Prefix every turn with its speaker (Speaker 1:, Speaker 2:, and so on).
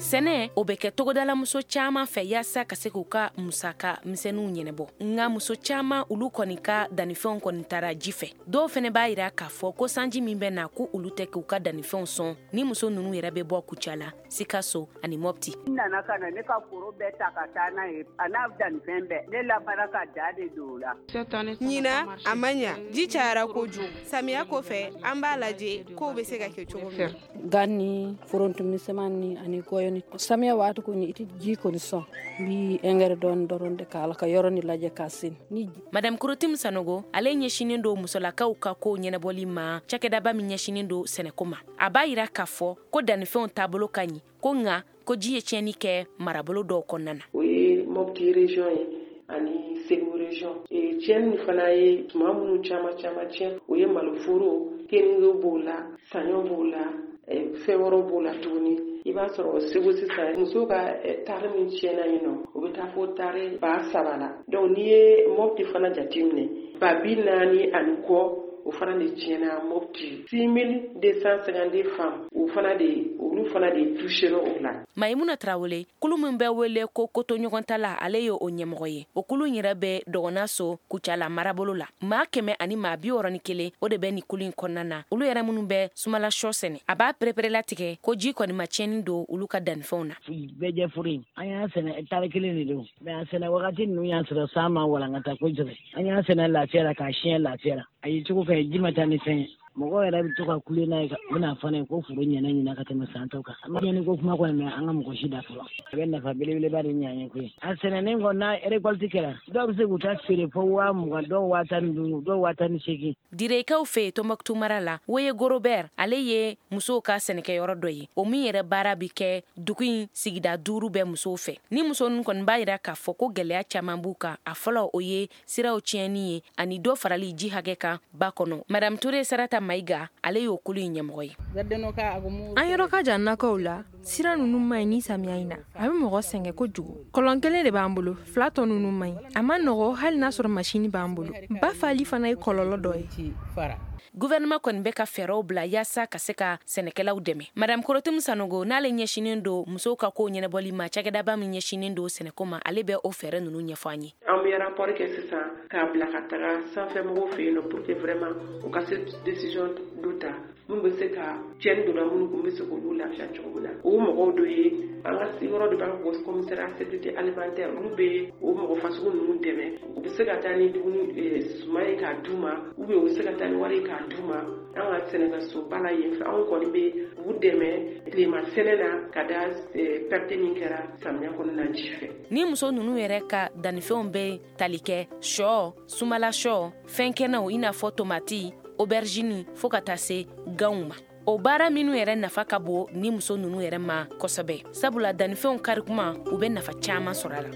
Speaker 1: Sɛnɛ, o bɛ kɛ togodalamuso caman fɛ yaasa ka se k'u ka musaka misɛnninw ɲɛnabɔ. Nka muso caman, olu kɔni ka dannifɛnw kɔni taara ji fɛ. Dɔw fɛnɛ b'a yira k'a fɔ ko sanji min bɛ na, ko olu tɛ k'u ka dannifɛnw sɔn. Ni muso ninnu yɛrɛ bɛ bɔ Kucala, Sikaso ani Mopti.
Speaker 2: N nana ka na ne ka foro bɛɛ ta ka taa n'a ye, a n'a dannifɛn bɛɛ. Ne labanna ka da de don o la.
Speaker 3: Ɲinan a ma ɲa, ji cayara kojugu. Samiya kɔfɛ, an b'a lajɛ kow bɛ se ka kɛ cogo min.
Speaker 4: Gan ni foronto misɛnman ni ani gɔyɔni, samiya waati kɔni, i tɛ ji kɔni sɔn. N bi engrais dɔɔni dɔrɔn de k'a la ka yɔrɔ ni lajɛ k'a sen ni.
Speaker 1: Madame Korotim Sanogo, ale ɲɛsinin don musolakaw ka kow ɲɛnabɔli ma cakɛdaba min ɲɛsinin don sɛnɛko ma. A b'a yira k'a fɔ ko dannifɛnw taabolo ka ɲi, ko nka ko ji ye tiɲɛni kɛ marabolo dɔw kɔnɔna na.
Speaker 5: O ye Mopti région ye ani Segu région. Tiɲɛni fana ye tuma minnu caman caman tiɲɛ, o ye maloforo, keninge b'o la, saɲɔ b'o la, fɛn wɛrɛw b'o la tuguni. I b'a sɔrɔ Segu sisan, musow ka tari min tiɲɛna yen nɔ, o bɛ taa fo tari 3000 la. Donc n'i ye Mopti fana jateminɛ, 40,000 ani kɔ, o fana de tiɲɛna Mopti. 6252 femmes, o fana de, olu fana de touché o la.
Speaker 1: Mayimuna Tarawele, kulu min bɛ wele ko kotoɲɔgɔntala, ale ye o ɲɛmɔgɔ ye. O kulu in yɛrɛ bɛ Dɔgɔnaso, Kucala marabolo la. Maa 161, o de bɛ nin kulu in kɔnɔna na. Olu yɛrɛ minnu bɛ sumala sɔ sɛnɛ, a b'a pereperelatigɛ ko ji kɔni ma tiɲɛni don olu ka dannifɛnw na.
Speaker 6: Bɛɛ jɛ foro in, an y'a sɛnɛ tari kelen de don, mais a sɛnɛ wagati ninnu y'a sɔrɔ san ma walankata kosɛbɛ. An y'a sɛnɛ lafiya la, k'a siɲɛ lafiya la. A ye cogo fɛ, ji ma taa ni fɛn ye. Mɔgɔw yɛrɛ bɛ to ka kule n'a ye, u bɛna fɔ ne ye ko foro ɲɛna ɲina ka tɛmɛ san tɔw kan. An ma ɲɛni ko kuma kɔni mɛn an ka mɔgɔ si da fɔlɔ. A bɛ nafa belebeleba de ɲɛ an ye koyi. A sɛnɛnen kɔ, n'a récolte kɛra, dɔw bɛ se k'u ta feere fo 20 000, dɔw 15 000, dɔw 18 000.
Speaker 1: Direkaw fɛ yen Tɔnbɔkutu mara la, Woye Gorobert, ale ye musow ka sɛnɛkɛyɔrɔ dɔ ye, o min yɛrɛ baara bɛ kɛ dugu in sigida duuru bɛɛ musow fɛ. Ni muso ninnu kɔni b'a yira k'a fɔ ko gɛlɛya caman b'u kan. A fɔlɔ, o ye siraw tiɲɛni ye ani dɔ farali ji hakɛ kan ba kɔnɔ. Madame Ture Sarata Mayiga, ale y'o kulu in ɲɛmɔgɔ ye.
Speaker 7: An yɔrɔ ka jan nakɔw la, sira ninnu man ɲi. Ni samiya in na, a bɛ mɔgɔ sɛgɛn kojugu. Kɔlɔn kelen de b'an bolo, fila tɔ ninnu man ɲi, a ma nɔgɔ, hali n'a sɔrɔ masini b'an bolo. Ba fali fana ye kɔlɔlɔ dɔ ye.
Speaker 1: Gouvernement kɔni bɛ ka fɛɛrɛw bila yaasa ka se ka sɛnɛkɛlaw dɛmɛ. Madame Korotim Sanogo, n'ale ɲɛsinin don musow ka kow ɲɛnabɔli ma cakɛdaba min ɲɛsinin don sɛnɛko ma, ale bɛ o fɛɛrɛ ninnu ɲɛfɔ an ye.
Speaker 5: An bɛ rapport kɛ sisan k'a bila ka taga sanfɛ mɔgɔw fɛ yen nɔ pour que vraiment u ka se décision dɔ ta mun bɛ se ka tiɲɛni donna minnu kun bɛ se k'olu lafiya cogo min na. O mɔgɔw dɔ ye an ka yɔrɔ dɔ b'a fɔ ko commissariat sécurité alimentaire, olu bɛ o mɔgɔ fasugu ninnu dɛmɛ. U bɛ se ka taa ni dumuni suman ye k'a d'u ma, ou bien u bɛ se ka taa ni wari ye k'a d'u ma. An ka sɛnɛkɛsoba la yen fɛ, anw kɔni bɛ u dɛmɛ tilema sɛnɛ na ka da perte min kɛra samiya kɔnɔna ji fɛ.
Speaker 1: Ni muso ninnu yɛrɛ ka dannifɛnw bɛ tali kɛ sɔ, sumala sɔ, fɛn kɛnɛw, i n'a fɔ tomati, aubergine, fo ka taa se ganw ma. O baara minnu yɛrɛ nafa ka bon ni muso ninnu yɛrɛ ma kosɛbɛ, sabula dannifɛnw karikuma, u bɛ nafa caman sɔrɔ a la.